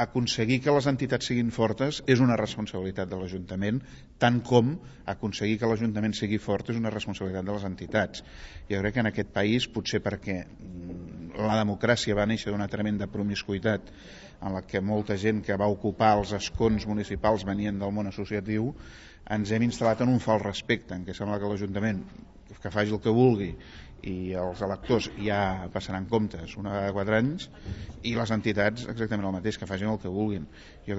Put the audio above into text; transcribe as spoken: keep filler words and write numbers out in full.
aconseguir que les entitats siguin fortes és una responsabilitat de l'Ajuntament, tant com aconseguir que l'Ajuntament sigui fort és una responsabilitat de les entitats. Jo crec que en aquest país, potser perquè la democràcia va néixer d'una tremenda promiscuïtat en la que molta gent que va ocupar els escons municipals venien del món associatiu, ens hem instal·lat en un fals respecte, en què sembla que l'Ajuntament que faci el que vulgui i els electors ja passaran comptes una vegada quatre anys i les entitats exactament el mateix, que facin el que vulguin. Jo crec